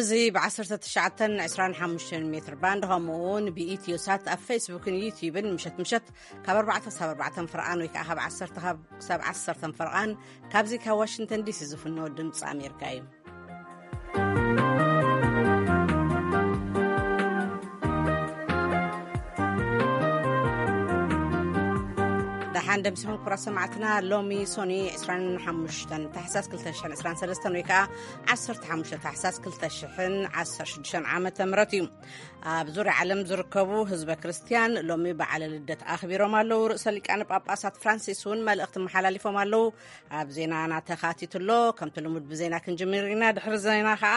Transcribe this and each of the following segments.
እዚ ብ19 25 ሜትር ባንድ፣ ከምኡ እውን ብኢትዮ ሳት ኣብ ፌስቡክን ዩቲዩብን ምሸት ምሸት ካብ ኣርባዕተ ክሳብ ኣርባዕተ ፍርቓን ወይ ከዓ ካብ ዓሰርተ ካብ ክሳብ ዓሰርተ ፍርቓን ካብዚ ካብ ዋሽንግተን ዲሲ ዝፍኖ ድምፂ ኣሜሪካ እዩ። ደሓን ደምሲኹም ክቡራት ሰማዕትና። ሎሚ ሶኒ 25 ታሕሳስ 2023 ወይ ከዓ 15 ታሕሳስ 2016 ዓመተ ምህረት እዩ። ኣብ ዙርያ ዓለም ዝርከቡ ህዝበ ክርስቲያን ሎሚ በዓለ ልደት ኣኽቢሮም ኣለዉ። ርእሰ ሊቃነ ጳጳሳት ፍራንሲስ እውን መልእኽቲ መሓላሊፎም ኣለዉ። ኣብ ዜናና ተኻቲቱ ኣሎ። ከምቲ ልሙድ ብዜና ክንጅምር ኢና። ድሕሪ ዜና ከዓ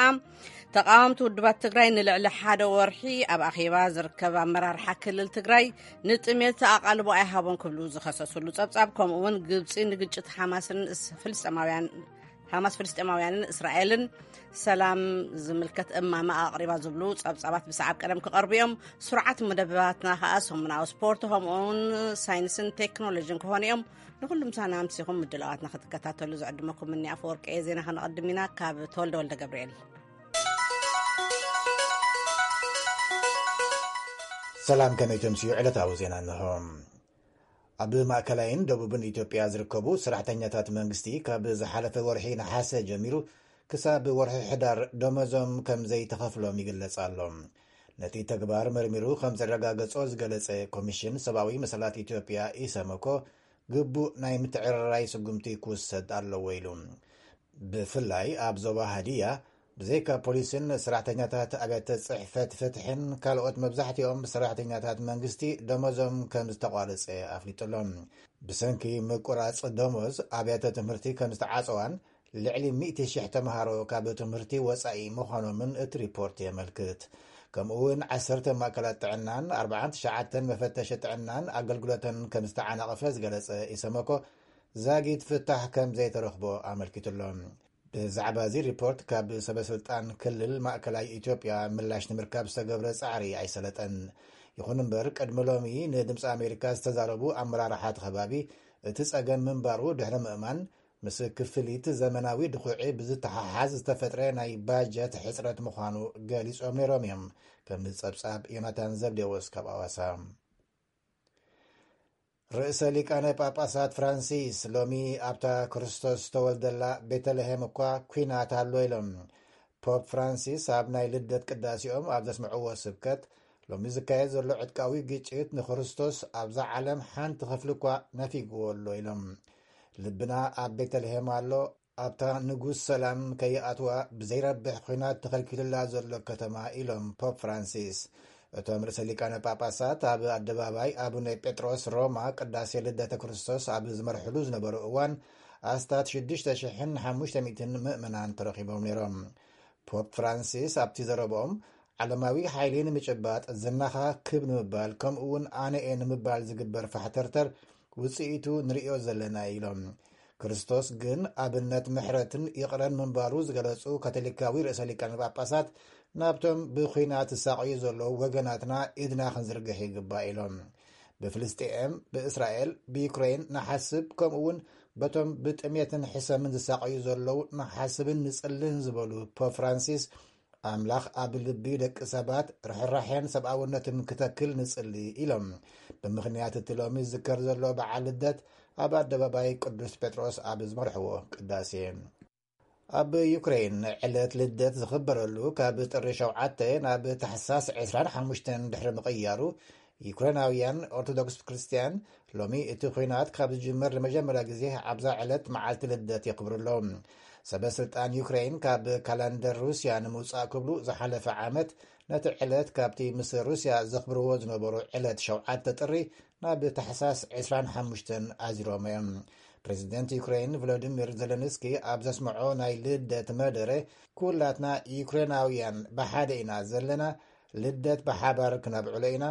ተቃወምቲ ውድባት ትግራይ ንልዕሊ ሓደ ወርሒ ኣብ ኣኼባ ዝርከብ ኣመራርሓ ክልል ትግራይ ንጥሜት ኣቓልቦ ኣይሃቦን ክብሉ ዝኸሰስሉ ጸብጻብ፣ ከምኡ እውን ግብጺ ንግጭት ሓማስን እስ-፣ ፍልስጤማውያን፣ ሓማስ ፍልስጤማውያንን እስራኤልን ሰላም ዝምልከት እማመ ኣቕሪባ ዝብሉ ጸብጻባት ብሰዓብ ቀደም ክቐርቡ እዮም። ስሩዓት መደባትና ከኣ ሰሙናዊ ስፖርት፣ ከምኡ እውን ሳይንስን ቴክኖሎጂን ክኾኑ እዮም። ንኹሉ ምሳና ኣምሲኹም ምድላዋትና ክትከታተሉ ዝዕድመኩም እኒ ኣፈወርቂ እየ። ዜና ከነቐድም ኢና ካብ ተወልደ ወልደ ገብርኤል። ሰላም፣ ከመይ ተምስዩ? ዕለታዊ ዜና እንሆ። ኣብ ማእከላይን ደቡብን ኢትዮጵያ ዝርከቡ ሰራሕተኛታት መንግስቲ ካብ ዝሓለፈ ወርሒ ነሓሰ ጀሚሩ ክሳብ ወርሒ ሕዳር ደመዞም ከም ዘይተኸፍሎም ይግለጽ ኣሎ። ነቲ ተግባር መርሚሩ ከም ዘረጋገጾ ዝገለጸ ኮሚሽን ሰብኣዊ መሰላት ኢትዮጵያ፣ ኢሰመኮ፣ ግቡእ ናይ ምትዕርራይ ስጉምቲ ክውሰድ ኣለዎ ኢሉ። ብፍላይ ኣብ ዞባ ሃዲያ፣ ብዘይካ ፖሊስን ሰራሕተኛታት ኣብያተ ጽሕፈት ፍትሕን፣ ካልኦት መብዛሕትኦም ሰራሕተኛታት መንግስቲ ደሞዞም ከም ዝተቋረጸ ኣፍሊጡ ኣሎ። ብሰንኪ ምቁራጽ ደሞዝ ኣብያተ ትምህርቲ ከም ዝተዓጸዋን ልዕሊ ሚእቲ ሽሕ ተምሃሮ ካብ ትምህርቲ ወጻኢ ምዃኖምን እቲ ሪፖርት የመልክት። ከምኡ እውን ዓሰርተ ማእከላት ጥዕናን ኣርባዓን ትሽዓተን መፈተሺ ጥዕናን ኣገልግሎተን ከም ዝተዓናቐፈ ዝገለጸ ኢሰመኮ፣ ዛጊት ፍታሕ ከም ዘይተረኽቦ ኣመልኪቱ ኣሎ። ብዛዕባ እዚ ሪፖርት ካብ ሰበ ስልጣን ክልል ማእከላይ ኢትዮጵያ ምላሽ ንምርካብ ዝተገብረ ጻዕሪ ኣይሰለጠን። ይኹን እምበር፣ ቅድሚ ሎሚ ንድምፂ ኣሜሪካ ዝተዛረቡ ኣመራርሓ እቲ ከባቢ፣ እቲ ጸገም ምንባሩ ድሕሪ ምእማን፣ ምስ ክፍሊት ዘመናዊ ድኹዒ ብዝተሓሓዝ ዝተፈጥረ ናይ ባጀት ሕጽረት ምዃኑ ገሊጾም ነይሮም እዮም። ከም ጸብጻብ ዮናታን ዘብዴዎስ ካብ ኣዋሳ። ርእሰ ሊቃነ ጳጳሳት ፍራንሲስ ሎሚ ኣብታ ክርስቶስ ዝተወልደላ ቤተልሔም እኳ ኲናት ኣሎ ኢሎም። ፖፕ ፍራንሲስ ኣብ ናይ ልደት ቅዳሴኦም ኣብ ዘስምዕዎ ስብከት፣ ሎሚ ዝካየድ ዘሎ ዕጥቃዊ ግጭት ንክርስቶስ ኣብዛ ዓለም ሓንቲ ክፍሊ እኳ ነፊግዎ ኣሎ ኢሎም። ልብና ኣብ ቤተልሔም ኣሎ፣ ኣብታ ንጉስ ሰላም ከይኣትዋ ብዘይረብሕ ኲናት ተኸልኪሉላ ዘሎ ከተማ ኢሎም ፖፕ ፍራንሲስ። እቶም ርእሰ ሊቃነ ጳጳሳት ኣብ ኣደባባይ ኣቡነ ጴጥሮስ ሮማ ቅዳሴ ልደተ ክርስቶስ ኣብ ዝመርሕሉ ዝነበሩ እዋን፣ ኣስታት ሽዱሽተ ሽሕን ሓሙሽተ ሚእትን ምእመናን ተረኺቦም ነይሮም። ፖፕ ፍራንሲስ ኣብቲ ዘረብኦም፣ ዓለማዊ ሓይሊ ንምጭባጥ፣ ዝናኻ ክብ ንምባል፣ ከምኡ እውን ኣነ እየ ንምባል ዝግበር ፋሕተርተር ውጽኢቱ ንርእዮ ዘለና ኢሎም። ክርስቶስ ግን ኣብነት ምሕረትን ይቕረን ምንባሩ ዝገለጹ ካቶሊካዊ ርእሰ ሊቃነ ጳጳሳት፣ ናብቶም ብኲናት ዝሳቐዩ ዘለዉ ወገናትና ኢድና ክንዝርግሕ ይግባእ ኢሎም። ብፍልስጤም፣ ብእስራኤል፣ ብዩክሬን ንሓስብ፣ ከምኡ እውን በቶም ብጥሜትን ሕሰምን ዝሳቐዩ ዘለዉ ንሓስብን ንጽልን ዝበሉ ፖፕ ፍራንሲስ፣ ኣምላኽ ኣብ ልቢ ደቂ ሰባት ርሕራሕን ሰብኣውነትን ክተክል ንጽሊ ኢሎም። ብምኽንያት እቲ ሎሚ ዝዝከር ዘሎ በዓል ልደት፣ ኣብ ኣደባባይ ቅዱስ ጴጥሮስ ኣብ ዝመርሕዎ ቅዳሴ። ኣብ ዩክሬን ዕለት ልደት ዝኽበረሉ ካብ ጥሪ ሸውዓተ ናብ ታሕሳስ ዕስራን ሓሙሽተን ድሕሪ ምቕያሩ፣ ዩክሬናውያን ኦርቶዶክስ ክርስትያን ሎሚ እቲ ኲናት ካብ ዝጅምር ንመጀመርያ ግዜ ኣብዛ ዕለት መዓልቲ ልደት የኽብሩ ኣለዉ። ሰበ ስልጣን ዩክሬን ካብ ካላንደር ሩስያ ንምውጻእ ክብሉ ዝሓለፈ ዓመት ነቲ ዕለት ካብቲ ምስ ሩስያ ዘኽብርዎ ዝነበሩ ዕለት ሸውዓተ ጥሪ ናብ ታሕሳስ ዕስራን ሓሙሽተን ኣዚሮም እዮም። ፕሬዚደንት ዩክሬን ቮሎዲሚር ዘለንስኪ ኣብ ዘስምዖ ናይ ልደት መደረ፣ ኩላትና ዩክሬናውያን ብሓደ ኢና ዘለና፣ ልደት ብሓባር ክነብዕሎ ኢና፣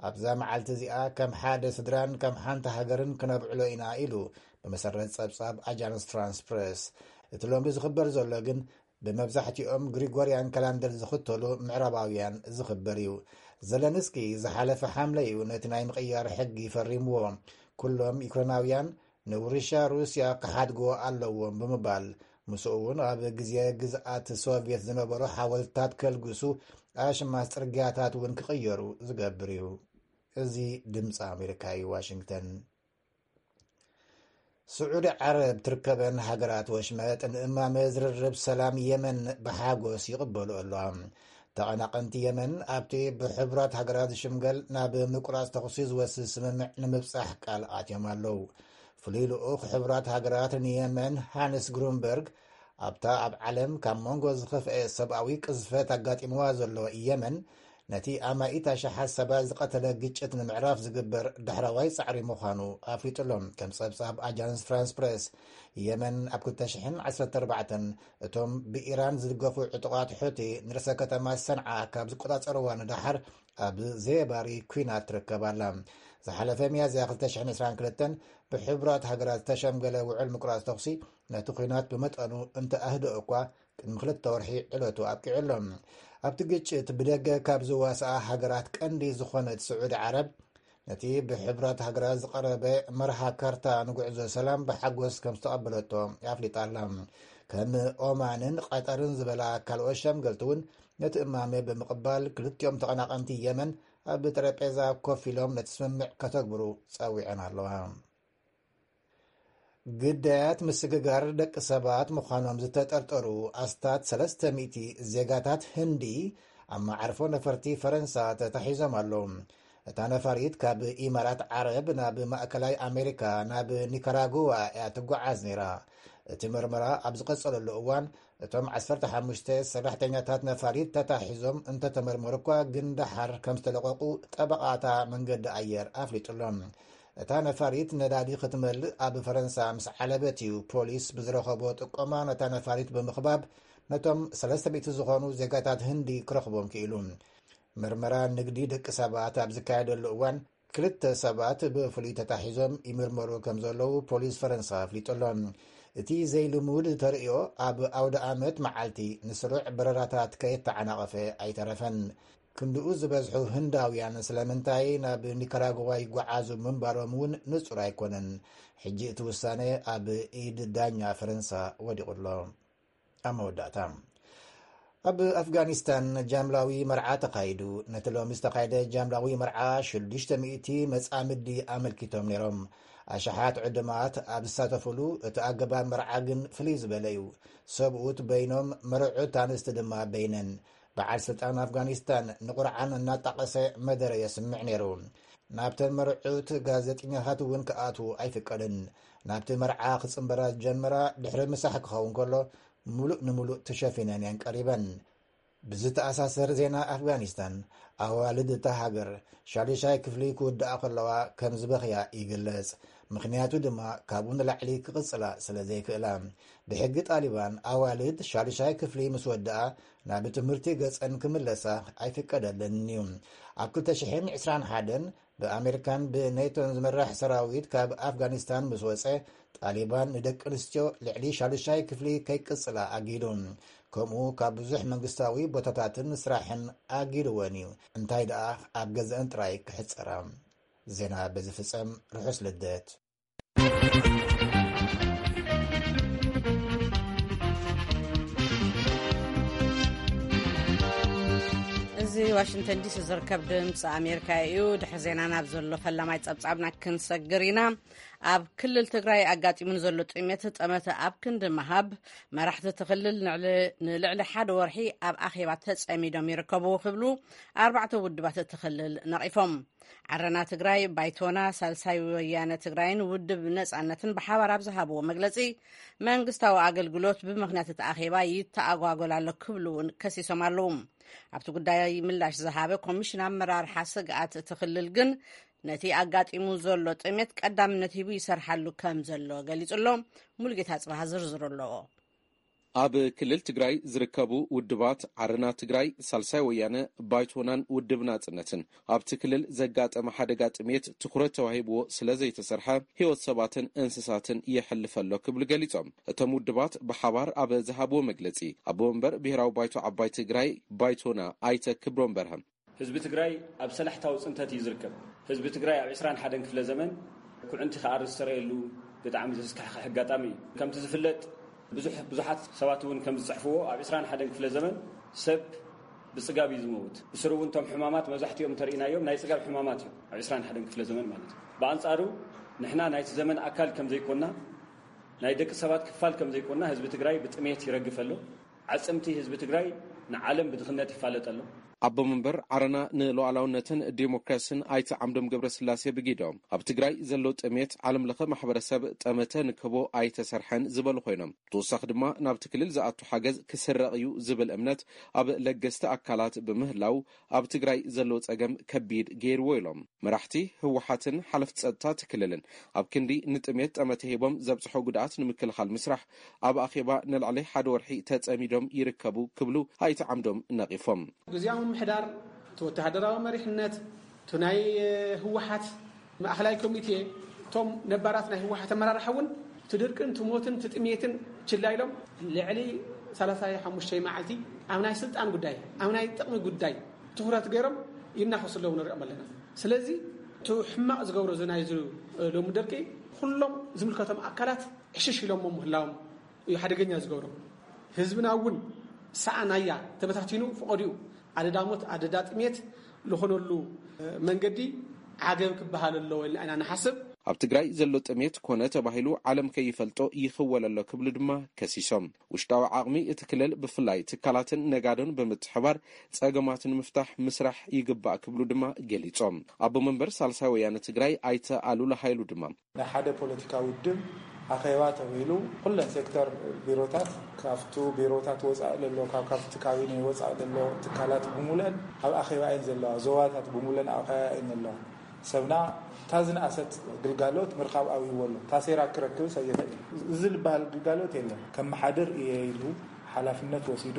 ኣብዛ መዓልቲ እዚኣ ከም ሓደ ስድራን ከም ሓንቲ ሃገርን ክነብዕሎ ኢና ኢሉ፣ ብመሰረት ጸብጻብ ኣጃንስ ፍራንስ ፕሬስ። እቲ ሎሚ ዝኽበር ዘሎ ግን ብመብዛሕትኦም ግሪጎርያን ካላንደር ዝኽተሉ ምዕራባውያን ዝኽበር እዩ። ዘለንስኪ ዝሓለፈ ሓምለ እዩ ነቲ ናይ ምቕያር ሕጊ ፈሪምዎ። ኩሎም ዩክሬናውያን ንውርሻ ሩስያ ክሓድግዎ ኣለዎም ብምባል ምስኡ እውን ኣብ ግዜ ግዝኣት ሶቪየት ዝነበሩ ሓወልትታት ከልግሱ፣ ኣሽማስ ጽርግያታት እውን ክቕየሩ ዝገብር እዩ። እዚ ድምፂ ኣሜሪካ እዩ። ዋሽንግተን። ስዑዲ ዓረብ ትርከበን ሃገራት ወሽመጥ ንእማመ ዝርርብ ሰላም የመን ብሓጎስ ይቕበሉ ኣለዋ። ተቐናቐንቲ የመን ኣብቲ ብሕቡራት ሃገራት ዝሽምገል ናብ ምቁራፅ ተኹሲ ዝወስድ ስምምዕ ንምብፃሕ ቃል ኣትዮም ኣለዉ። ፍሉይ ልኡኽ ሕቡራት ሃገራት ንየመን ሃንስ ግሩንበርግ ኣብታ ኣብ ዓለም ካብ መንጎ ዝኸፍአ ሰብኣዊ ቅዝፈት ኣጋጢምዋ ዘሎ የመን ነቲ ኣማኢት ኣሽሓት ሰባት ዝቐተለ ግጭት ንምዕራፍ ዝግበር ዳሕረዋይ ጻዕሪ ምዃኑ ኣፍሊጡ ኣሎ። ከም ጸብጻብ ኣጃንስ ፍራንስ ፕሬስ፣ የመን ኣብ ክልተ ሽሕን ዓሰርተ ኣርባዕተን እቶም ብኢራን ዝድገፉ ዕጡቓት ሑቲ ንርእሰ ከተማ ሰንዓ ካብ ዝቆጻጸርዋ ንደሓር ኣብ ዘየባሪ ኲናት ትርከብ ኣላ። ዝሓለፈ ሚያዝያ ክልተ ሽሕን ዕስራን ክልተን ብሕቡራት ሃገራት ዝተሸምገለ ውዕል ምቁራጽ ተኹሲ ነቲ ኲናት ብመጠኑ እንተ ኣህደኦ እኳ፣ ቅድሚ ክልተ ወርሒ ዕለቱ ኣብቂዑ ኣሎ። ኣብቲ ግጭት ብደገ ካብ ዝዋስኣ ሃገራት ቀንዲ ዝኾነት ስዑዲ ዓረብ፣ ነቲ ብሕቡራት ሃገራት ዝቐረበ መርሃ ካርታ ንጉዕዞ ሰላም ብሓጎስ ከም ዝተቐበለቶ ኣፍሊጣ ኣላ። ከም ኦማንን ቀጠርን ዝበላ ካልኦት ሸምገልቲ እውን ነቲ እማመ ብምቕባል፣ ክልቲኦም ተቐናቐንቲ የመን ኣብ ጠረጴዛ ኮፍ ኢሎም ነቲ ስምምዕ ከተግብሩ ጸዊዐን ኣለዋ። ግዳያት ምስግጋር ደቂ ሰባት ምዃኖም ዝተጠርጠሩ ኣስታት ሰለስተ ሚእቲ ዜጋታት ህንዲ ኣብ መዓርፎ ነፈርቲ ፈረንሳ ተታሒዞም ኣለዉ። እታ ነፋሪት ካብ ኢማራት ዓረብ ናብ ማእከላይ ኣሜሪካ ናብ ኒካራጉዋ እያ ትጓዓዝ ነይራ። እቲ መርመራ ኣብ ዝቐጸለሉ እዋን፣ እቶም ዓሰርተ ሓሙሽተ ሰራሕተኛታት ነፋሪት ተታሒዞም እንተተመርመሩ እኳ፣ ግን ደሓር ከም ዝተለቐቑ ጠበቓታ መንገዲ ኣየር ኣፍሊጡ ኣሎ። እታ ነፋሪት ነዳዲ ክትመልእ ኣብ ፈረንሳ ምስ ዓለበት እዩ ፖሊስ ብዝረኸቦ ጥቆማ ነታ ነፋሪት ብምኽባብ ነቶም ሰለስተ ሚእቲ ዝኾኑ ዜጋታት ህንዲ ክረኽቦም ክኢሉ። ምርመራ ንግዲ ደቂ ሰባት ኣብ ዝካየደሉ እዋን ክልተ ሰባት ብፍሉይ ተታሒዞም ይምርመሩ ከም ዘለዉ ፖሊስ ፈረንሳ ኣፍሊጡ ኣሎ። እቲ ዘይልሙድ ተርእዮ ኣብ ኣውደ ኣመት መዓልቲ ንስሩዕ በረራታት ከየተዓናቐፈ ኣይተረፈን። ክንድኡ ዝበዝሑ ህንዳውያን ስለምንታይ ናብ ኒካራጓ ይጓዓዙ ምንባሮም እውን ንጹር ኣይኮነን። ሕጂ እቲ ውሳነ ኣብ ኢድ ዳኛ ፈረንሳ ወዲቑ ኣሎ። ኣብ መወዳእታ፣ ኣብ ኣፍጋኒስታን ጃምላዊ መርዓ ተኻይዱ። ነቲ ሎሚ ዝተኻየደ ጃምላዊ መርዓ ሽዱሽተ ሚእቲ መጻምዲ ኣመልኪቶም ነይሮም። ኣሽሓት ዕዱማት ኣብ ዝሳተፉሉ፣ እቲ ኣገባብ መርዓ ግን ፍልይ ዝበለ እዩ። ሰብኡት በይኖም፣ መርዑት ኣንስቲ ድማ በይነን። በዓል ስልጣን ኣፍጋኒስታን ንቁርዓን እናጣቐሰ መደረ የስምዕ ነይሩ። ናብተን መርዑት ጋዜጠኛታት እውን ክኣትዉ ኣይፍቀድን። ናብቲ መርዓ ክጽንበራ ዝጀመራ ድሕሪ ምሳሕ ክኸውን ከሎ፣ ምሉእ ንምሉእ ተሸፊነን እየን ቀሪበን። ብዝተኣሳሰር ዜና ኣፍጋኒስታን፣ ኣዋልድ እታ ሃገር ሻዱሻይ ክፍሊ ክውድኣ ከለዋ ከም ዝበኽያ ይግለጽ። ምኽንያቱ ድማ ካብኡ ንላዕሊ ክቕጽላ ስለ ዘይክእላ። ብሕጊ ጣሊባን፣ ኣዋልድ ሻዱሻይ ክፍሊ ምስ ወድኣ ናብ ትምህርቲ ገጸን ክምለሳ ኣይፍቀደለንን እዩ። ኣብ ክልተ ሽሕን ዕስራን ሓደን ብኣሜሪካን ብኔቶን ዝምራሕ ሰራዊት ካብ ኣፍጋኒስታን ምስ ወጸ፣ ጣሊባን ንደቂ ኣንስትዮ ልዕሊ ሻዱሻይ ክፍሊ ከይቅጽላ ኣጊዱ። ከምኡ ካብ ብዙሕ መንግስታዊ ቦታታትን ስራሕን ኣጊድወን እዩ። እንታይ ደኣ ኣብ ገዛእን ጥራይ ክሕጸራ። ዜና በዚ ፍጸም። ርሑስ ልደት። እዚ ዋሽንግተን ዲሲ ዝርከብ ድምፂ ኣሜሪካ እዩ። ድሕሪ ዜና ናብ ዘሎ ፈላማይ ጸብጻብና ክንሰግር ኢና። ኣብ ክልል ትግራይ ኣጋጢሙ ንዘሎ ጥሜት ጠመተ ኣብ ክንዲ ምሃብ፣ መራሕቲ እቲ ክልል ንዕሊ-፣ ንልዕሊ ሓደ ወርሒ ኣብ ኣኼባ ተጸሚዶም ይርከቡ ክብሉ ኣርባዕተ ውድባት እቲ ክልል ነቒፎም። ዓረና ትግራይ፣ ባይቶና፣ ሳልሳይ ወያነ ትግራይን ውድብ ነጻነትን ብሓባር ኣብ ዝሃብዎ መግለጺ፣ መንግስታዊ ኣገልግሎት ብምኽንያት እቲ ኣኼባ ይተኣጓጎል ኣሎ ክብሉ እውን ከሲሶም ኣለዉ። ኣብቲ ጉዳይ ምላሽ ዝሃበ ኮሚሽን ኣመራርሓ ስግኣት እቲ ክልል ግን ነቲ ኣጋጢሙ ዘሎ ጥሜት ቀዳምነት ሂቡ ይሰርሓሉ ከም ዘሎ ገሊጹ ኣሎ። ሙሉጌታ ጽባሃ ዝርዝሩ ኣለዎ። ኣብ ክልል ትግራይ ዝርከቡ ውድባት ዓረና ትግራይ፣ ሳልሳይ ወያነ፣ ባይቶናን ውድብ ናጽነትን ኣብቲ ክልል ዘጋጠመ ሓደጋ ጥሜት ትኹረት ተዋሂብዎ ስለ ዘይተሰርሐ ህይወት ሰባትን እንስሳትን የሕልፍ ኣሎ ክብሉ ገሊጾም። እቶም ውድባት ብሓባር ኣብ ዝሃብዎ መግለጺ፣ ኣቦ መንበር ብሔራዊ ባይቶ ዓባይ ትግራይ ባይቶና ኣይተ ክብሮም በርሀ፣ ህዝቢ ትግራይ ኣብ ሰላሕታዊ ጽንተት እዩ ዝርከብ። ህዝቢ ትግራይ ኣብ ዕስራን ሓደን ክፍለ ዘመን ኩዕንቲ ክኣርስ ዝተረየሉ ብጣዕሚ ዘስካሕክሕ ኣጋጣሚ እዩ። ከምቲ ዝፍለጥ፣ ብዙሕ ብዙሓት ሰባት እውን ከም ዝፅሕፍዎ ኣብ ዕስራን ሓደን ክፍለ ዘመን ሰብ ብፅጋብ እዩ ዝመውት። ብስሩ እውን እቶም ሕማማት መብዛሕትኦም እንተርኢናዮም ናይ ፅጋብ ሕማማት እዮም ኣብ ዕስራን ሓደን ክፍለ ዘመን ማለት እዩ። ብኣንፃሩ ንሕና ናይቲ ዘመን ኣካል ከም ዘይኮና፣ ናይ ደቂ ሰባት ክፋል ከም ዘይኮና ህዝቢ ትግራይ ብጥሜት ይረግፍ ኣሎ። ዓፅምቲ ህዝቢ ትግራይ ንዓለም ብድኽነት ይፋለጥ ኣሎ። ኣቦ መንበር ዓረና ንሉዓላውነትን ዴሞክራሲን ኣይተ ዓምዶም ገብረስላሴ ብጊዶም ኣብ ትግራይ ዘሎ ጥሜት ዓለም ለኸ ማሕበረሰብ ጠመተ ንክህቦ ኣይተሰርሐን ዝበሉ ኮይኖም፣ ተወሳኺ ድማ ናብቲ ክልል ዝኣቱ ሓገዝ ክስረቕ እዩ ዝብል እምነት ኣብ ለገስቲ ኣካላት ብምህላው ኣብ ትግራይ ዘሎ ፀገም ከቢድ ገይርዎ ኢሎም። መራሕቲ ህወሓትን ሓለፍቲ ፀጥታ እቲ ክልልን ኣብ ክንዲ ንጥሜት ጠመተ ሂቦም ዘብፅሖ ጉድኣት ንምክልኻል ምስራሕ ኣብ ኣኼባ ንልዕሊ ሓደ ወርሒ ተፀሚዶም ይርከቡ ክብሉ ኣይተ ዓምዶም ነቒፎም። ግዝያዊ ምምሕዳር፣ እቲ ወተሃደራዊ መሪሕነት፣ እቲ ናይ ህወሓት ማእኸላይ ኮሚቴ፣ እቶም ነባራት ናይ ህወሓት ኣመራርሓ እውን እቲ ድርቅን እቲ ሞትን እቲ ጥሜትን ችላ ኢሎም ልዕሊ ሰላሳ ሓሙሽተ መዓልቲ ኣብ ናይ ስልጣን ጉዳይ፣ ኣብ ናይ ጥቕሚ ጉዳይ ትኹረት ገይሮም ይናኸሱ ኣለዉ ንሪኦም ኣለና። ስለዚ እቲ ሕማቕ ዝገብሮ እዚ ናይ እዚ ሎሚ ድርቂ ኩሎም ዝምልከቶም ኣካላት ዕሽሽ ኢሎሞ ምህላዎም እዩ ሓደገኛ ዝገብሮ። ህዝብና እውን ሰኣናያ ተበታቲኑ ፈቐዲኡ ኣደዳ ሞት ኣደዳ ጥሜት ዝኾነሉ መንገዲ ዓገብ ክበሃል ኣለዎ ኢልና ኢና ንሓስብ። ኣብ ትግራይ ዘሎ ጥሜት ኮነ ተባሂሉ ዓለም ከይፈልጦ ይኽወል ኣሎ ክብሉ ድማ ከሲሶም። ውሽጣዊ ዓቕሚ እቲ ክልል ብፍላይ ትካላትን ነጋዶን ብምትሕባር ፀገማት ንምፍታሕ ምስራሕ ይግባእ ክብሉ ድማ ገሊፆም። ኣቦ መንበር ሳልሳይ ወያነ ትግራይ ኣይተ ኣሉላ ሃይሉ ድማ ናይ ሓደ ፖለቲካዊ ውድብ ኣኼባ ተባሂሉ ኩለን ሴክተር ቢሮታት ካብቱ ቢሮታት ወፃኢ ዘሎ ካብ ካብቲ ካቢኔ ወፃኢ ዘሎ ትካላት ብምሉአን ኣብ ኣኼባ እየን ዘለዋ። ዞባታት ብምሉአን ኣብ ኣኼባ እየን ዘለዋ። ሰብና እታ ዝነኣሰት ግልጋሎት ምርካብ ኣብይዎ ኣሎ። እታ ሴራ ክረክብስ ኣይኽእል። እዚ ዝበሃል ግልጋሎት የለን። ከመሓድር እየ ኢሉ ሓላፍነት ወሲዱ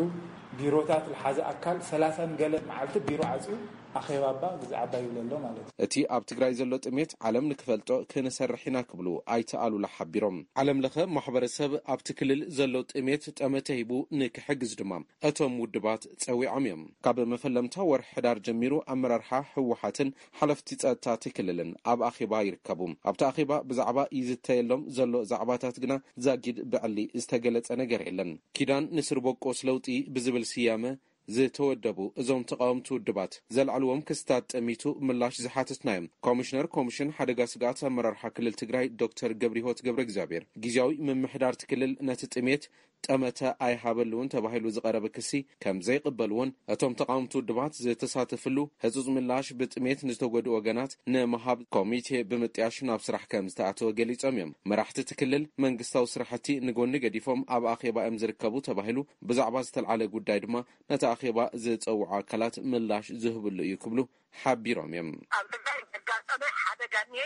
ቢሮታት ዝሓዘ ኣካል ሰላሳን ገለን መዓልቲ ቢሮ ዓፅዩ ኣኼባ እባ ግዜ ዓባይ ይብለሎ ማለት እዩ። እቲ ኣብ ትግራይ ዘሎ ጥሜት ዓለም ንክፈልጦ ክንሰርሕ ኢና ክብሉ ኣይተ ኣሉላ ሓቢሮም። ዓለም ለኸ ማሕበረሰብ ኣብቲ ክልል ዘሎ ጥሜት ጠመተ ሂቡ ንክሕግዝ ድማ እቶም ውድባት ፀዊዖም እዮም። ካብ መፈለምታ ወርሒ ሕዳር ጀሚሩ ኣመራርሓ ህወሓትን ሓለፍቲ ፀጥታ እቲ ክልልን ኣብ ኣኼባ ይርከቡ። ኣብቲ ኣኼባ ብዛዕባ ይዝተየሎም ዘሎ ዛዕባታት ግና ዛጊድ ብዕሊ ዝተገለፀ ነገር የለን። ኪዳን ንስርቦቆስ ለውጢ ብዝብል ስያመ ዝተወደቡ እዞም ተቃወምቲ ውድባት ዘልዓልዎም ክስታት ጠሚቱ ምላሽ ዝሓተትና እዮም። ኮሚሽነር ኮሚሽን ሓደጋ ስግኣት ኣመራርሓ ክልል ትግራይ ዶክተር ገብረሂወት ገብረ እግዚኣብሔር ግዝያዊ ምምሕዳር እቲ ክልል ነቲ ጥሜት ጠመተ ኣይሃበሉን ተባሂሉ ዝቐረበ ክሲ ከም ዘይቕበልዎን እቶም ተቃወምቲ ውድባት ዝተሳተፍሉ ህጹጽ ምላሽ ብጥሜት ንዝተጎድኡ ወገናት ንምሃብ ኮሚቴ ብምጥያሽ ናብ ስራሕ ከም ዝተኣተወ ገሊጾም እዮም። መራሕቲ እቲ ክልል መንግስታዊ ስራሕቲ ንጎኒ ገዲፎም ኣብ ኣኼባ እዮም ዝርከቡ ተባሂሉ ብዛዕባ ዝተልዓለ ጉዳይ ድማ ነቲ ኣኼባ ዝጸውዑ ኣካላት ምላሽ ዝህብሉ እዩ ክብሉ ሓቢሮም እዮም። ኣብ ትግራይ ዘጋጠመ ሓደጋ እኒሄ።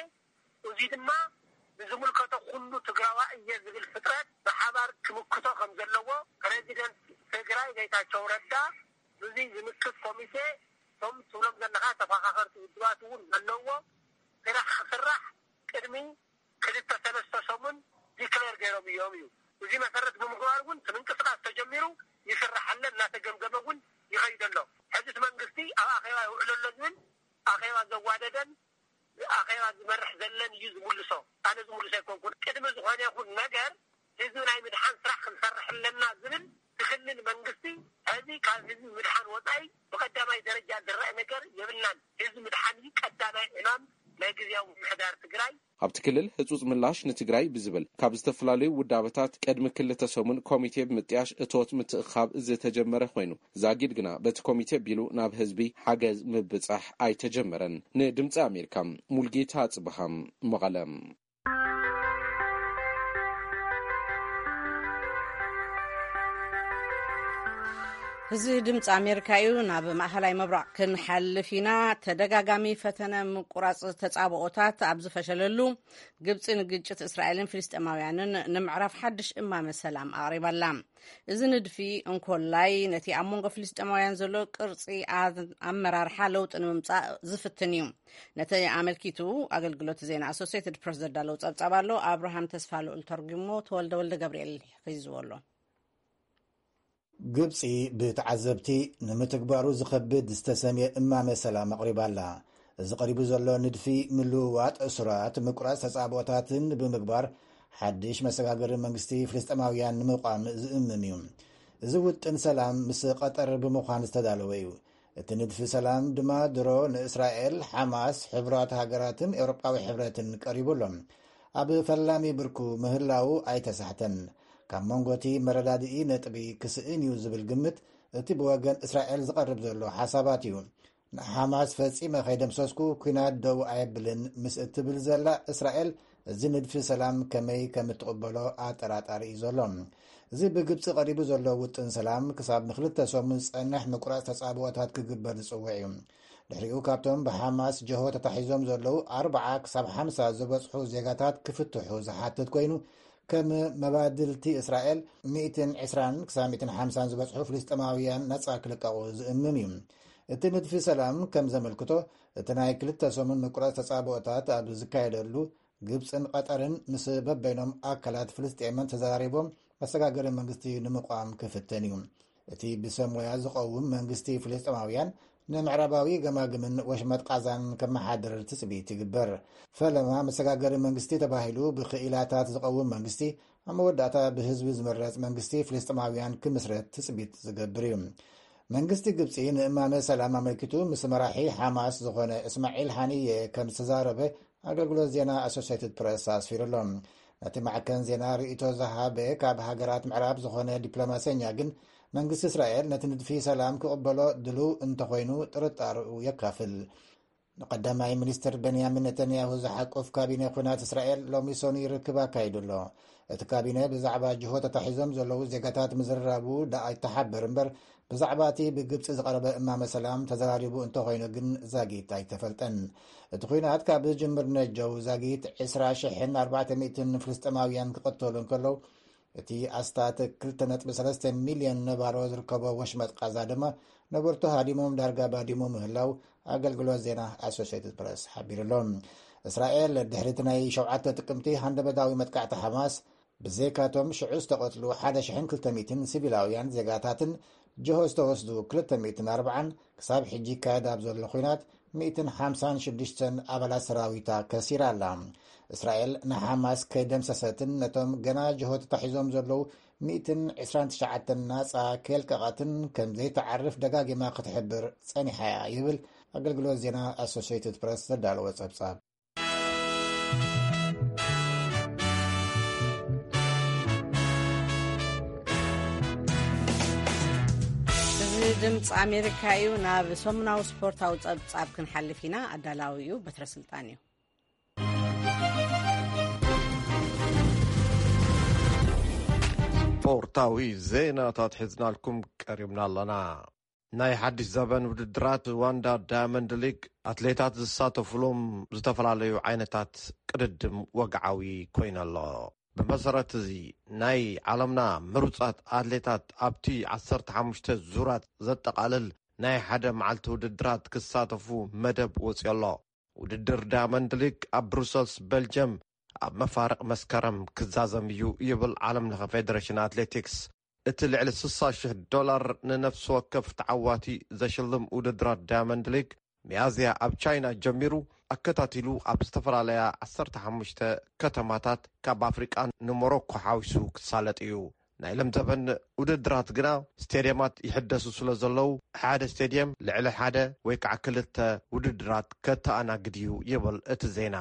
እዚ ድማ ንዝምልከቶ ኩሉ ትግራዋ እየ ዝብል ፍጥረት ብሓባር ክምክቶ ከም ዘለዎ ፕሬዚደንት ትግራይ ጌታቸው ረዳ፣ እዚ ዝምክት ኮሚቴ፣ እቶም ትብሎም ዘለኻ ተፈኻኸርቲ ውድባት እውን ዘለዎ ስራሕ ክስራሕ ቅድሚ ክልተ ሰለስተ ሰሙን ዲክለር ገይሮም እዮም እዩ። እዚ መሰረት ብምግባር እውን እቲ ምንቅስቃስ ተጀሚሩ ይስራሕ ኣሎ፣ እናተገምገመ እውን ይኸይድ ኣሎ። ሕዚ እቲ መንግስቲ ኣብ ኣኼባ ይውዕል ኣሎ ዝብል ኣኼባ ዘዋደደን ኣኼባ ዝመርሕ ዘለን እዩ ዝምልሶ። ኣነ ዝምልሶ ኣይኮንኩን። ቅድሚ ዝኾነ ይኹን ነገር ህዝቢ ናይ ምድሓን ስራሕ ክንሰርሕ ኣለና ዝብል ትኽልል መንግስቲ፣ ሕዚ ካብ ህዝቢ ምድሓን ወፃኢ ብቀዳማይ ደረጃ ዝረአ ነገር የብልናን። ህዝቢ ምድሓን እዩ ቀዳማይ ዕማም ናይ ግዝያዊ ምምሕዳር ትግራይ። ኣብቲ ክልል ህጹጽ ምላሽ ንትግራይ ብዝብል ካብ ዝተፈላለዩ ውዳበታት ቅድሚ ክልተ ሰሙን ኮሚቴ ብምጥያሽ እቶት ምትእኻብ ዝተጀመረ ኮይኑ፣ ዛጊድ ግና በቲ ኮሚቴ ቢሉ ናብ ህዝቢ ሓገዝ ምብጻሕ ኣይተጀመረን። ንድምጺ ኣሜሪካ፣ ሙልጌታ ጽብሃም፣ መቐለ። እዚ ድምፂ ኣሜሪካ እዩ። ናብ ማእኸላይ ምብራቕ ክንሓልፍ ኢና። ተደጋጋሚ ፈተነ ምቁራፅ ተፃብኦታት ኣብ ዝፈሸለሉ፣ ግብፂ ንግጭት እስራኤልን ፍልስጤማውያንን ንምዕራፍ ሓድሽ እማመ ሰላም ኣቕሪባላ። እዚ ንድፊ እንኮላይ ነቲ ኣብ መንጎ ፍልስጤማውያን ዘሎ ቅርፂ ኣመራርሓ ለውጢ ንምምፃእ ዝፍትን እዩ። ነቲ ኣመልኪቱ ኣገልግሎት ዜና ኣሶሴትድ ፕረስ ዘዳለዉ ጸብጻብ ኣሎ። ኣብርሃም ተስፋ ልኡል ተርጉሞ፣ ተወልደ ወልደ ገብርኤል ሒዝዎ ኣሎ። ግብጺ ብተዓዘብቲ ንምትግባሩ ዝኸብድ ዝተሰምየ እማመ ሰላም ኣቕሪባ ኣላ። እዚ ቀሪቡ ዘሎ ንድፊ ምልውዋጥ እሱራት፣ ምቁራጽ ተጻብኦታትን ብምግባር ሓድሽ መሰጋገሪ መንግስቲ ፍልስጤማውያን ንምቋም ዝእምም እዩ። እዚ ውጥን ሰላም ምስ ቀጠር ብምዃን ዝተዳለወ እዩ። እቲ ንድፊ ሰላም ድማ ድሮ ንእስራኤል፣ ሓማስ፣ ሕቡራት ሃገራትን ኤውሮጳዊ ሕብረትን ቀሪቡ ኣሎ። ኣብ ፈላሚ ብርኩ ምህላው ኣይተሳሕተን። ካብ መንጎ እቲ መረዳድኢ ነጥቢ ክስእን እዩ ዝብል ግምት እቲ ብወገን እስራኤል ዝቐርብ ዘሎ ሓሳባት እዩ። ንሓማስ ፈጺመ ከይደምሰስኩ ኲናት ደው ኣየብልን ምስ እትብል ዘላ እስራኤል፣ እዚ ንድፊ ሰላም ከመይ ከም እትቕበሎ ኣጠራጣሪ እዩ ዘሎ። እዚ ብግብጺ ቀሪቡ ዘሎ ውጥን ሰላም ክሳብ ንክልተ ሰሙን ዝጸንሕ ምቁራጽ ተጻብኦታት ክግበር ዝጽውዕ እዩ። ድሕሪኡ ካብቶም ብሓማስ ጀሆ ተታሒዞም ዘለዉ ኣርብዓ ክሳብ ሓምሳ ዝበጽሑ ዜጋታት ክፍትሑ ዝሓትት ኮይኑ፣ ከም መባድልቲ እስራኤል ሚእትን ዕስራን ክሳብ ሚእትን ሓምሳን ዝበጽሑ ፍልስጤማውያን ነጻ ክልቀቑ ዝእምም እዩ። እቲ ንድፊ ሰላም ከም ዘመልክቶ፣ እቲ ናይ ክልተ ሰሙን ምቁራጽ ተጻብኦታት ኣብ ዝካየደሉ፣ ግብጽን ቀጠርን ምስ በበይኖም ኣካላት ፍልስጤምን ተዘራሪቦም መሰጋገሪ መንግስቲ ንምቋም ክፍትን እዩ። እቲ ብሰብ ሞያ ዝቐውም መንግስቲ ፍልስጤማውያን ንምዕራባዊ ገማግምን ወሽመጥ ቃዛን ከመሓድር ትጽቢት ይግበር። ፈለማ መሰጋገሪ መንግስቲ ተባሂሉ ብክኢላታት ዝቐውም መንግስቲ ኣብ መወዳእታ ብህዝቢ ዝምረጽ መንግስቲ ፍልስጤማውያን ክምስረት ትጽቢት ዝገብር እዩ። መንግስቲ ግብጺ ንእማመ ሰላም ኣመልኪቱ ምስ መራሒ ሓማስ ዝኾነ እስማዒል ሃኒየ ከም ዝተዛረበ ኣገልግሎት ዜና ኣሶሲየትድ ፕረስ ኣስፊሩ ኣሎ። ነቲ ማዕከን ዜና ርእይቶ ዝሃበ ካብ ሃገራት ምዕራብ ዝኾነ ዲፕሎማሰኛ ግን፣ መንግስቲ እስራኤል ነቲ ንድፊ ሰላም ክቕበሎ ድሉው እንተኾይኑ ጥርጣርኡ የካፍል። ንቀዳማይ ሚኒስትር ቤንያሚን ነተንያሁ ዝሓቁፍ ካቢነ ኲናት እስራኤል ሎሚ ሰኑይ ርክብ ኣካይዱ ኣሎ። እቲ ካቢነ ብዛዕባ ጅሆ ተታሒዞም ዘለዉ ዜጋታት ምዝርራቡ ደኣ ይተሓበር እምበር፣ ብዛዕባ እቲ ብግብጺ ዝቐረበ እማመ ሰላም ተዘራሪቡ እንተኾይኑ ግን ዛጊት ኣይተፈልጠን። እቲ ኲናት ካብ ዝጅምር ነጀው ዛጊት ዕስራ ሽሕን ኣርባዕተ ሚእትን ፍልስጤማውያን ክቐተሉ እንከለዉ፣ እቲ ኣስታት ክልተ ነጥቢ ሰለስተ ሚልዮን ነባሮ ዝርከቦ ወሽመጥ ቃዛ ድማ ነበርቱ ሃዲሞም ዳርጋ ባዲሙ ምህላው ኣገልግሎት ዜና ኣሶሲየትድ ፕረስ ሓቢሩ ኣሎ። እስራኤል ድሕሪ እቲ ናይ ሸውዓተ ጥቅምቲ ሃንደበታዊ መጥቃዕቲ ሓማስ፣ ብዘይካቶም ሽዑ ዝተቐትሉ ሓደ ሽሕን ክልተ ሚእትን ሲቪላውያን ዜጋታትን ጅሆ ዝተወስዱ ክልተ ሚእትን ኣርባዓን ክሳብ ሕጂ ይካየድ ኣብ ዘሎ ኲናት ሚእትን ሓምሳን ሽዱሽተን ኣባላት ሰራዊታ ከሲራ ኣላ። እስራኤል ንሓማስ ከይደምሰሰትን ነቶም ገና ጅሆ ተታሒዞም ዘለዉ ሚእትን ዕስራን ትሽዓተን ናጻ ከየልቀቐትን ከም ዘይተዓርፍ ደጋጊማ ክትሕብር ጸኒሓ እያ ይብል ኣገልግሎት ዜና ኣሶሲየትድ ፕረስ ዘዳለወ ጸብጻብ። እዚ ድምፂ ኣሜሪካ እዩ። ናብ ሰሙናዊ ስፖርታዊ ጸብጻብ ክንሓልፍ ኢና። ኣዳላዊ እዩ በትረ ስልጣን እዩ። ስፖርታዊ ዜናታት ሒዝናልኩም ቀሪብና ኣለና። ናይ ሓድሽ ዘበን ውድድራት ዋንዳ ዳያመንድ ሊግ ኣትሌታት ዝሳተፉሎም ዝተፈላለዩ ዓይነታት ቅድድም ወግዓዊ ኮይነ ኣሎ። ብመሰረት እዚ ናይ ዓለምና ምሩፃት ኣትሌታት ኣብቲ ዓሰርተ ሓሙሽተ ዙራት ዘጠቓልል ናይ ሓደ መዓልቲ ውድድራት ክሳተፉ መደብ ወፅዮ ኣሎ። ውድድር ዳያመንድ ሊግ ኣብ ብሩሰልስ ቤልጅየም ኣብ መፋርቕ መስከረም ክዛዘም እዩ ይብል ዓለም ለኸ ፌደሬሽን ኣትሌቲክስ። እቲ ልዕሊ ስሳ ሽሕ ዶላር ንነፍሲ ወከፍ ተዓዋቲ ዘሽልም ውድድራት ዳያመንድ ሊግ ሚያዝያ ኣብ ቻይና ጀሚሩ ኣከታቲሉ ኣብ ዝተፈላለያ ዓሰርተ ሓሙሽተ ከተማታት ካብ ኣፍሪቃ ንሞሮኮ ሓዊሱ ክሳለጥ እዩ። ናይ ለምዘበን ውድድራት ግና ስቴድየማት ይሕደሱ ስለ ዘለዉ ሓደ ስቴድየም ልዕሊ ሓደ ወይ ከዓ ክልተ ውድድራት ከተኣናግድ እዩ ይብል እቲ ዜና።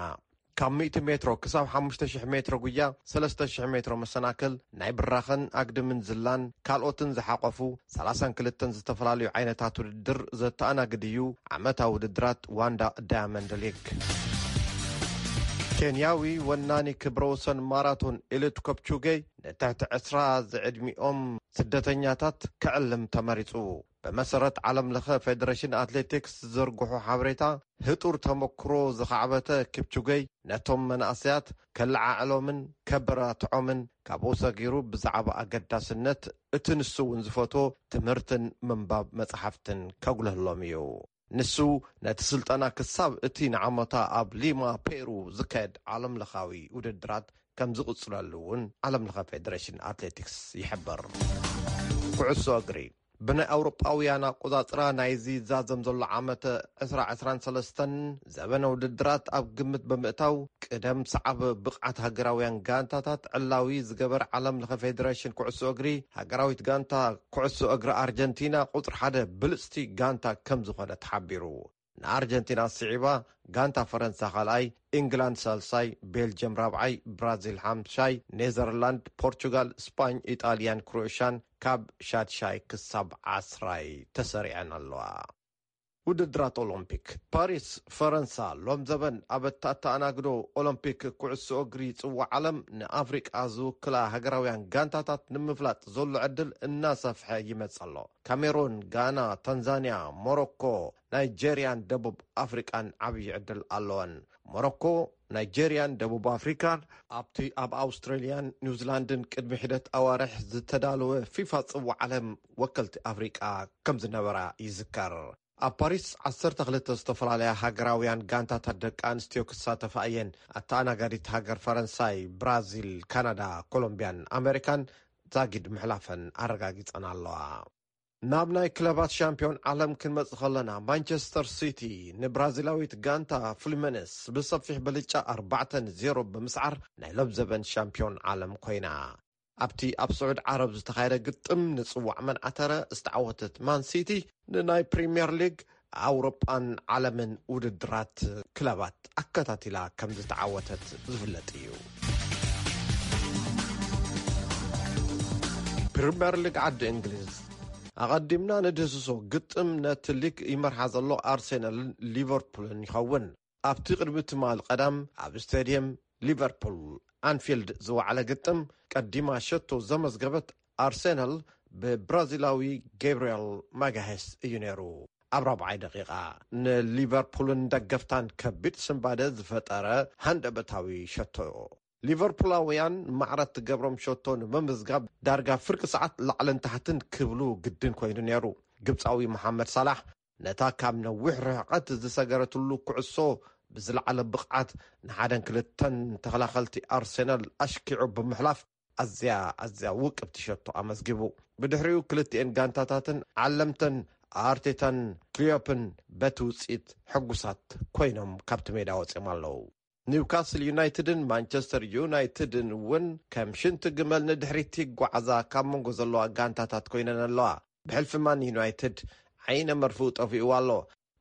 ካብ ሚእቲ ሜትሮ ክሳብ ሓሙሽተ ሽሕ ሜትሮ ጉያ፣ ሰለስተ ሽሕ ሜትሮ መሰናክል፣ ናይ ብራኸን ኣግድምን ዝላን ካልኦትን ዝሓቆፉ ሰላሳን ክልተን ዝተፈላለዩ ዓይነታት ውድድር ዘተኣናግድ እዩ ዓመታዊ ውድድራት ዋንዳ ዳያመንድ ሊግ። ኬንያዊ ወናኒ ክብረ ወሰን ማራቶን ኤልዩድ ኮፕቹጌ ንትሕቲ ዕስራ ዝዕድሚኦም ስደተኛታት ክዕልም ተመሪጹ። ብመሰረት ዓለም ለኸ ፌደሬሽን ኣትሌቲክስ ዝዝርግሑ ሓበሬታ፣ ህጡር ተመክሮ ዝኻዕበተ ኪፕቹገይ ነቶም መናእሰያት ከለዓዕሎምን ከበራትዖምን ካብኡ ሰጊሩ ብዛዕባ ኣገዳስነት እቲ ንሱ እውን ዝፈትዎ ትምህርትን ምንባብ መጽሓፍትን ከጉልህሎም እዩ። ንሱ ነቲ ስልጠና ክሳብ እቲ ንዓመታ ኣብ ሊማ ፔሩ ዝካየድ ዓለምለኻዊ ውድድራት ከም ዝቕጽለሉ እውን ዓለምለኸ ፌደሬሽን ኣትሌቲክስ ይሕብር። ኩዕሶ እግሪ። ብናይ ኣውሮጳውያን ኣቆጻጽራ ናይዚ ዛዘም ዘሎ ዓመት ዕስራ ዕስራን ሰለስተን ዘበነ ውድድራት ኣብ ግምት ብምእታው፣ ቅደም ሰዓብ ብቕዓት ሃገራውያን ጋንታታት ዕላዊ ዝገበር ዓለም ለኸ ፌደሬሽን ኩዕሶ እግሪ፣ ሃገራዊት ጋንታ ኩዕሶ እግሪ ኣርጀንቲና ቁጽሪ ሓደ ብልጽቲ ጋንታ ከም ዝኾነ ተሓቢሩ። ንኣርጀንቲና ስዒባ፣ ጋንታ ፈረንሳ ካልኣይ፣ ኢንግላንድ ሳልሳይ፣ ቤልጅየም ራብዓይ፣ ብራዚል ሓምሻይ፣ ኔዘርላንድ፣ ፖርቹጋል፣ ስፓኝ፣ ኢጣልያን ክሮኤሽያን ካብ ሻድሻይ ክሳብ ዓስራይ ተሰሪዐን ኣለዋ። ውድድራት ኦሎምፒክ ፓሪስ፣ ፈረንሳ፣ ሎም ዘበን ኣብ እተኣናግዶ ኦሎምፒክ ኩዕሶ እግሪ ጽዋዕ ዓለም ንኣፍሪቃ ዝውክላ ሃገራውያን ጋንታታት ንምፍላጥ ዘሎ ዕድል እናሰፍሐ ይመጽእ ኣሎ። ካሜሩን፣ ጋና፣ ታንዛንያ፣ ሞሮኮ፣ ናይጄርያን ደቡብ ኣፍሪቃን ዓብዪ ዕድል ኣለወን። ሞሮኮ፣ ናይጄርያን ደቡብ ኣፍሪካን ኣብቲ ኣብ ኣውስትራልያን ኒውዚላንድን ቅድሚ ሒደት ኣዋርሕ ዝተዳለወ ፊፋ ጽዋዕ ዓለም ወከልቲ ኣፍሪቃ ከም ዝነበራ ይዝከር። ኣብ ፓሪስ ዓሰርተ ክልተ ዝተፈላለያ ሃገራውያን ጋንታታት ደቂ ኣንስትዮ ክሳተፋ እየን። ኣተኣናጋዲት ሃገር ፈረንሳይ፣ ብራዚል፣ ካናዳ፣ ኮሎምቢያን ኣሜሪካን ዛጊድ ምሕላፈን ኣረጋጊጸን ኣለዋ። ናብ ናይ ክለባት ሻምፒዮን ዓለም ክንመጽእ ከለና፣ ማንቸስተር ሲቲ ንብራዚላዊት ጋንታ ፍሉሚነስ ብሰፊሕ ብልጫ ኣርባዕተ ንዜሮ ብምስዓር ናይ ሎም ዘበን ሻምፒዮን ዓለም ኮይና። ኣብቲ ኣብ ስዑድ ዓረብ ዝተኻየደ ግጥም ንጽዋዕ መን ዓተረ ዝተዓወተት ማን ሲቲ፣ ንናይ ፕሪምየር ሊግ ኣውሮጳን ዓለምን ውድድራት ክለባት ኣከታቲላ ከም ዝተዓወተት ዝፍለጥ እዩ። ፕሪምየር ሊግ ዓዲ እንግሊዝ፣ ኣቐዲምና ንድህስሶ ግጥም ነቲ ሊግ ይመርሓ ዘሎ ኣርሴናልን ሊቨርፑልን ይኸውን። ኣብቲ ቅድሚ ትማል ቀዳም ኣብ ስቴድየም ሊቨርፑል ኣንፊልድ ዝወዓለ ግጥም፣ ቀዲማ ሸቶ ዘመዝገበት ኣርሴናል ብብራዚላዊ ገብርኤል ማጋሄስ እዩ ነይሩ። ኣብ ራብዓይ ደቂቓ፣ ንሊቨርፑልን ደገፍታን ከቢድ ስንባደ ዝፈጠረ ሃንደበታዊ ሸቶ። ሊቨርፑላውያን ማዕረ እትገብሮም ሸቶ ንምምዝጋብ ዳርጋ ፍርቂ ሰዓት ላዕልን ታሕትን ክብሉ ግድን ኮይኑ ነይሩ። ግብጻዊ መሓመድ ሳላሕ ነታ ካብ ነዊሕ ርሕቀት ዝሰገረትሉ ኩዕሶ ብዝለዓለ ብቕዓት ንሓደን ክልተን ተኸላኸልቲ ኣርሴናል ኣሽኪዑ ብምሕላፍ ኣዝያ፣ ኣዝያ ውቅብቲ ሸቶ ኣመዝጊቡ። ብድሕሪኡ ክልቲኤን ጋንታታትን ዓለምተን ኣርቴታን ክሊዮፕን በቲ ውጽኢት ሕጉሳት ኮይኖም ካብቲ ሜዳ ወጺኦም ኣለዉ። ኒውካስል ዩናይትድን ማንቸስተር ዩናይትድን እውን ከም ሽንቲ ግመል ንድሕሪት ይጓዓዛ ካብ መንጎ ዘለዋ ጋንታታት ኮይነን ኣለዋ። ብሕልፊ ማን ዩናይትድ ዓይነ መርፍኡ ጠፊእዋ ኣሎ።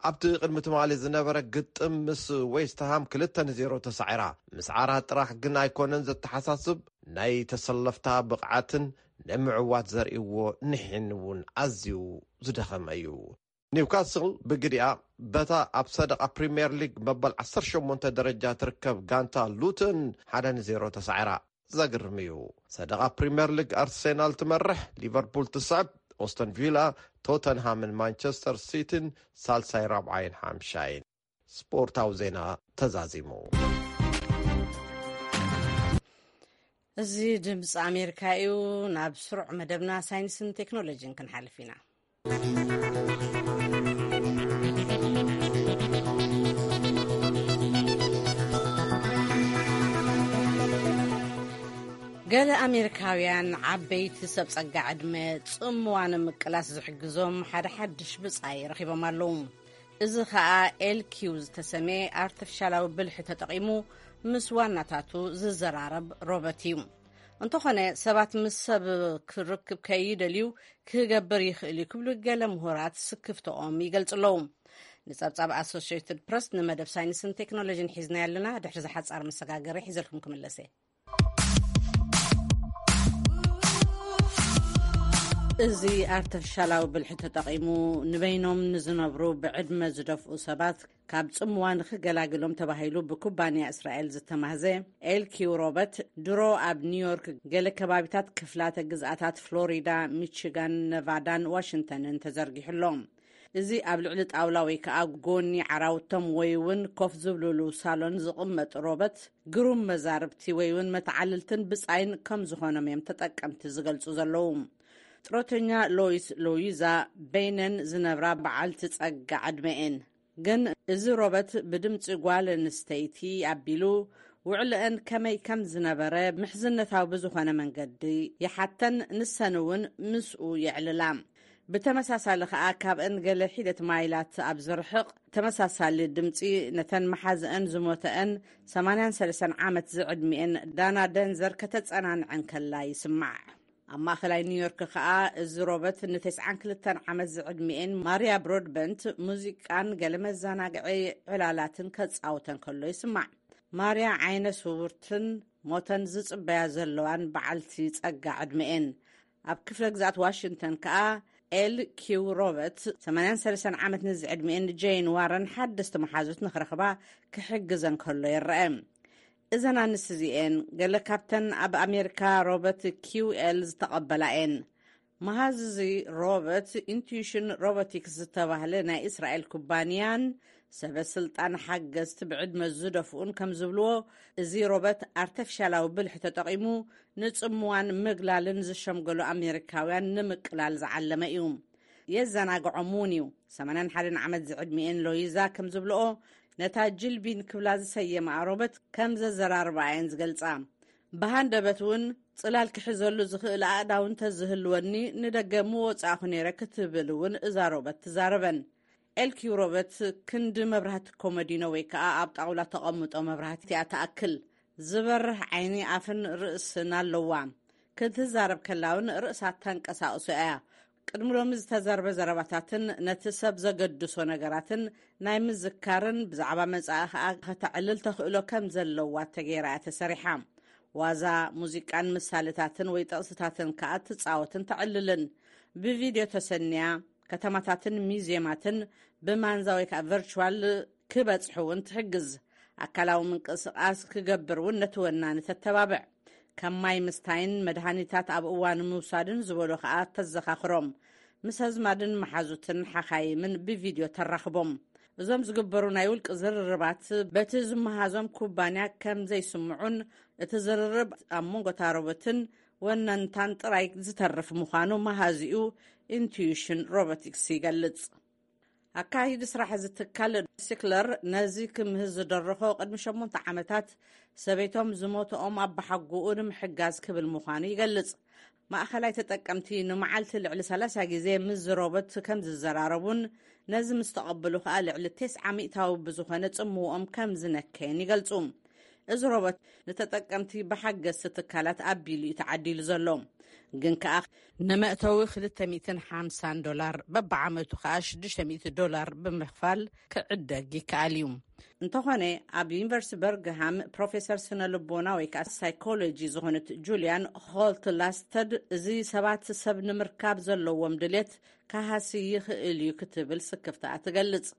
ኣብቲ ቅድሚ ትማሊ ዝነበረ ግጥም ምስ ዌስትሃም ክልተ ንዜሮ ተሳዒራ። ምስዓራ ጥራሕ ግን ኣይኮነን ዘተሓሳስብ፣ ናይ ተሰለፍታ ብቕዓትን ንምዕዋት ዘርእይዎ ንሒን እውን ኣዝዩ ዝደኸመ እዩ። ኒውካስል ብግዲኣ በታ ኣብ ሰደቓ ፕሪምየር ሊግ መበል ዓሰርተ ሸሞንተ ደረጃ ትርከብ ጋንታ ሉተን ሓደ ንዜሮ ተሳዒራ። ዘግርም እዩ። ሰደቓ ፕሪምየር ሊግ ኣርሴናል ትመርሕ፣ ሊቨርፑል ትስዕብ፣ ኦስተን ቪላ፣ ቶተንሃምን ማንቸስተር ሲቲን ሳልሳይ፣ ራብዓይን ሓምሻይን። ስፖርታዊ ዜና ተዛዚሙ። እዚ ድምፂ ኣሜሪካ እዩ። ናብ ስሩዕ መደብና ሳይንስን ቴክኖሎጂን ክንሓልፍ ኢና። ገለ ኣሜሪካውያን ዓበይቲ ሰብ ጸጋ ዕድመ ጽምዋ ንምቅላስ ዝሕግዞም ሓደ ሓድሽ ብጻይ ረኺቦም ኣለዉ። እዚ ኸኣ ኤል ኪው ዝተሰምየ ኣርቲፊሻላዊ ብልሒ ተጠቒሙ ምስ ዋናታቱ ዝዘራረብ ሮቦት እዩ። እንተኾነ፣ ሰባት ምስ ሰብ ክርክብ ከይደልዩ ክገብር ይኽእል እዩ ክብሉ ገለ ምሁራት ስክፍትኦም ይገልጹ ኣለዉ። ንጸብጻብ ኣሶሽየትድ ፕረስ ንመደብ ሳይንስን ቴክኖሎጂን ሒዝናዮ ኣለና። ድሕሪ ዝሓጻር መሰጋገሪ ሒዘልኩም ክምለስ እየ። እዚ ኣርቲፊሻላዊ ብልሒ ተጠቒሙ ንበይኖም ንዝነብሩ ብዕድመ ዝደፍኡ ሰባት ካብ ጽምዋ ንኽገላግሎም ተባሂሉ ብኩባንያ እስራኤል ዝተማህዘ ኤልኪው ሮበት ድሮ ኣብ ኒውዮርክ፣ ገለ ከባቢታት ክፍላተ ግዝኣታት ፍሎሪዳ፣ ሚቺጋን፣ ነቫዳን ዋሽንግተንን ተዘርጊሑ ኣሎ። እዚ ኣብ ልዕሊ ጣውላ ወይ ከኣ ጎኒ ዓራውቶም ወይ እውን ኮፍ ዝብልሉ ሳሎን ዝቕመጥ ሮበት ግሩም መዛርብቲ ወይ እውን መተዓልልትን ብጻይን ከም ዝኾኖም እዮም ተጠቀምቲ ዝገልጹ ዘለዉ። ጥሮተኛ ሎይስ ሎይዛ በይነን ዝነብራ በዓልቲ ጸጋ ዕድመ እየን። ግን እዚ ሮበት ብድምጺ ጓል ኣንስተይቲ ኣቢሉ ውዕልአን ከመይ ከም ዝነበረ ምሕዝነታዊ ብዝኾነ መንገዲ ይሓተን፣ ንሰን እውን ምስኡ የዕልላ። ብተመሳሳሊ ከኣ ካብአን ገለ ሒደት ማይላት ኣብ ዝርሕቕ ተመሳሳሊ ድምጺ ነተን መሓዝአን ዝሞተአን ሰማንያን ሰለስተን ዓመት ዝዕድሚኤን ዳና ደንዘር ከተጸናንዐን ከላ ይስማዕ። ኣብ ማእኸላይ ኒውዮርክ ከኣ እዚ ሮበት ንተስዓን ክልተን ዓመት ዝዕድሚኤን ማርያ ብሮድበንት ሙዚቃን ገለ መዘናግዒ ዕላላትን ከጻውተን ከሎ ይስማዕ። ማርያ ዓይነ ስውርትን ሞተን ዝጽበያ ዘለዋን በዓልቲ ጸጋ ዕድመኤን። ኣብ ክፍለ ግዛት ዋሽንግተን ከኣ ኤል ኪው ሮበት ሰማንያን ሰለስተን ዓመት ንዝዕድሚኤን ጀይን ዋረን ሓደስቲ መሓዙት ንኽረኽባ ክሕግዘን ከሎ ይረአ። እዘን ኣንስቲ እዚኤን ገለ ካብተን ኣብ ኣሜሪካ ሮበት ኪው ኤል ዝተቐበላ እየን። መሃዝዚ ሮበት ኢንቱዊሽን ሮቦቲክስ ዝተባህለ ናይ እስራኤል ኩባንያን ሰበ ስልጣን ሓገዝቲ ብዕድመ ዝደፍኡን ከም ዝብልዎ፣ እዚ ሮበት ኣርተፊሻላዊ ብልሒ ተጠቒሙ ንጽምዋን ምግላልን ዝሸምገሉ ኣሜሪካውያን ንምቅላል ዝዓለመ እዩ። የዘናግዖም እውን እዩ። ሰማንያን ሓደን ዓመት ዝዕድሚኤን ሎይዛ ከም ዝብልኦ፣ ነታ ጅልቢን ክብላ ዝሰየማ ሮበት ከም ዘዘራርባ እየን ዝገልጻ። ብሃንደበት እውን ጽላል ክሕዘሉ ዝኽእል ኣእዳው እንተዝህልወኒ ንደገ ምወጻእኹ ነይረ ክትብል እውን እዛ ሮበት ትዛረበን። ኤልኪው ሮበት ክንዲ መብራህቲ ኮመዲኖ ወይ ከኣ ኣብ ጣውላ ተቐምጦ መብራህቲ እያ ትኣክል። ዝበርህ ዓይኒ፣ ኣፍን ርእስን ኣለዋ። ክትዛረብ ከላ እውን ርእሳ ተንቀሳቕሶ እያ። ቅድሚ ሎሚ ዝተዘርበ ዘረባታትን ነቲ ሰብ ዘገድሶ ነገራትን ናይ ምዝካርን ብዛዕባ መጻኢ ከኣ ከተዕልል ተኽእሎ ከም ዘለዋ ተገይራ እያ ተሰሪሓ። ዋዛ፣ ሙዚቃን ምሳሌታትን ወይ ጥቕስታትን ከኣ ትጻወትን ተዕልልን። ብቪድዮ ተሰንያ፣ ከተማታትን ሚዝየማትን ብማንዛ ወይ ከኣ ቨርቹዋል ክበጽሑ እውን ትሕግዝ። ኣካላዊ ምንቅስቓስ ክገብር እውን ነቲ ወናኒ ተተባብዕ። ከም ማይ ምስታይን መድሃኒታት ኣብ እዋኑ ምውሳድን ዝበሉ ከኣ ተዘኻኽሮም። ምስ ኣዝማድን መሓዙትን ሓኻይምን ብቪድዮ ተራኽቦም። እዞም ዝግበሩ ናይ ውልቂ ዝርርባት በቲ ዝመሃዞም ኩባንያ ከም ዘይስምዑን እቲ ዝርርብ ኣብ መንጎ ታሮቦትን ወነንታን ጥራይ ዝተርፍ ምዃኑ መሃዚኡ ኢንቱዊሽን ሮቦቲክስ ይገልጽ። ኣካይዲ ስራሕ እዚ ትካል ሲክለር ነዚ ክምህዝ ዝደረኾ ቅድሚ ሸሞንተ ዓመታት ሰበይቶም ዝሞትኦም ኣባሓጎኡ ንምሕጋዝ ክብል ምዃኑ ይገልጽ። ማእኸላይ ተጠቀምቲ ንመዓልቲ ልዕሊ ሰላሳ ግዜ ምስ ሮቦት ከም ዝዘራረቡን ነዚ ምስ ተቐበሉ ከኣ ልዕሊ ተስዓ ሚእታዊ ብዝኾነ ጽምውኦም ከም ዝነከየን ይገልጹ። እዚ ሮቦት ንተጠቀምቲ ብሓገዝቲ ትካላት ኣቢሉ እዩ ተዓዲሉ ዘሎ። ግን ከኣ ንመእተዊ ክልተ ሚእትን ሓምሳን ዶላር፣ በብዓመቱ ከኣ ሽዱሽተ ሚእቲ ዶላር ብምኽፋል ክዕደግ ይከኣል እዩ። እንተኾነ፣ ኣብ ዩኒቨርሲቲ በርግሃም ፕሮፌሰር ስነ ልቦና ወይ ከኣ ሳይኮሎጂ ዝኾነት ጁልያን ሆልት ላስተድ፣ እዚ ሰባት ሰብ ንምርካብ ዘለዎም ድሌት ክሃሲ ይኽእል እዩ ክትብል ስክፍታኣ ትገልጽ።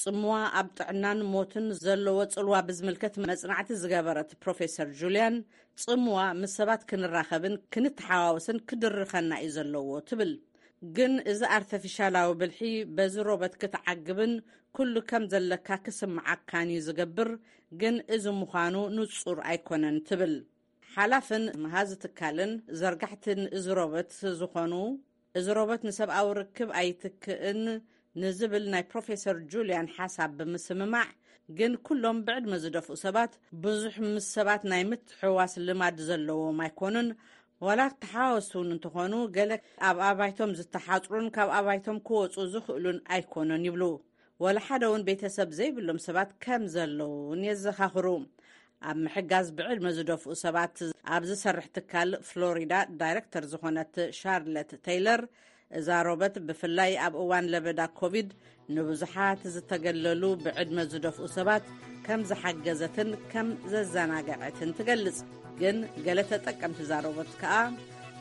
ጽምዋ ኣብ ጥዕናን ሞትን ዘለዎ ጽልዋ ብዝምልከት መጽናዕቲ ዝገበረት ፕሮፌሰር ጁልያን፣ ጽምዋ ምስ ሰባት ክንራኸብን ክንተሓዋወስን ክድርኸና እዩ ዘለዎ ትብል። ግን እዚ ኣርተፊሻላዊ ብልሒ በዚ ሮበት ክትዓግብን ኩሉ ከም ዘለካ ክስምዓካን እዩ ዝገብር፣ ግን እዚ ምዃኑ ንጹር ኣይኮነን ትብል። ሓላፍን መሃዚ ትካልን ዘርጋሕትን እዚ ሮበት ዝኾኑ፣ እዚ ሮበት ንሰብኣዊ ርክብ ኣይትክእን ንዝብል ናይ ፕሮፌሰር ጁልያን ሓሳብ ብምስምማዕ፣ ግን ኩሎም ብዕድመ ዝደፍኡ ሰባት ብዙሕ ምስ ሰባት ናይ ምትሕዋስ ልማድ ዘለዎም ኣይኮኑን። ዋላ ተሓዋወስቲ እውን እንተኾኑ፣ ገለ ኣብ ኣባይቶም ዝተሓጽሩን ካብ ኣባይቶም ክወጹ ዝኽእሉን ኣይኮኑን ይብሉ። ወላ ሓደ እውን ቤተሰብ ዘይብሎም ሰባት ከም ዘለውን የዘኻኽሩ። ኣብ ምሕጋዝ ብዕድመ ዝደፍኡ ሰባት ኣብ ዝሰርሕ ትካል ፍሎሪዳ ዳይሬክተር ዝኾነት ሻርለት ቴይለር፣ እዛ ሮበት ብፍላይ ኣብ እዋን ለበዳ ኮቪድ ንብዙሓት ዝተገለሉ ብዕድመ ዝደፍኡ ሰባት ከም ዝሓገዘትን ከም ዘዘናገዐትን ትገልጽ። ግን ገለ ተጠቀምቲ እዛ ሮበት ከኣ፣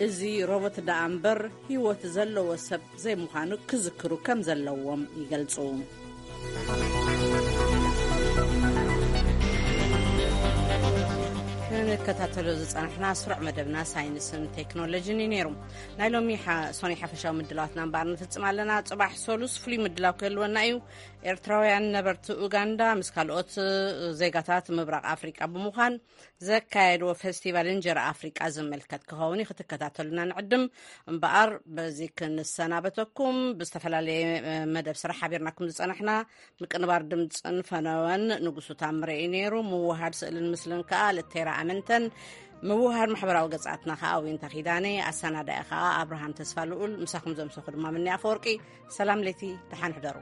እዚ ሮቦት ደኣ እምበር ህይወት ዘለዎ ሰብ ዘይምዃኑ ክዝክሩ ከም ዘለዎም ይገልጹ። ክንከታተሎ ዝጸናሕና ስሩዕ መደብና ሳይንስን ቴክኖሎጂን እዩ ነይሩ። ናይ ሎሚ ሓ-፣ ሶኒ ሓፈሻዊ ምድላዋትና እምበኣር ንፍጽም ኣለና። ጽባሕ ሰሉስ ፍሉይ ምድላው ክህልወና እዩ። ኤርትራውያን ነበርቲ ኡጋንዳ ምስ ካልኦት ዜጋታት ምብራቕ ኣፍሪቃ ብምዃን ዘካየድዎ ፈስቲቫል እንጀራ ኣፍሪቃ ዝምልከት ክኸውን እዩ። ክትከታተሉና ንዕድም። እምበኣር በዚ ክንሰናበተኩም፣ ብዝተፈላለየ፣ እ፣ መደብ ስራሕ ሓቢርናኩም ዝጸናሕና ምቅንባር ድምፅን ፈነወን ንጉሱ ታምረ እዩ ነይሩ። ምውሃድ ስእልን ምስልን ከኣ ልቴራ ኣመንተን። ምውሃር ማሕበራዊ ገጻትና ከኣ ዊንታ ኪዳነ፣ ኣሰናዳኢ ከኣ ኣብርሃም ተስፋ ልኡል፣ ምሳኹም ዘምሰኹ ድማ ምኒ ኣፈወርቂ። ሰላም ለይቲ፣ ደሓን ሕደሩ።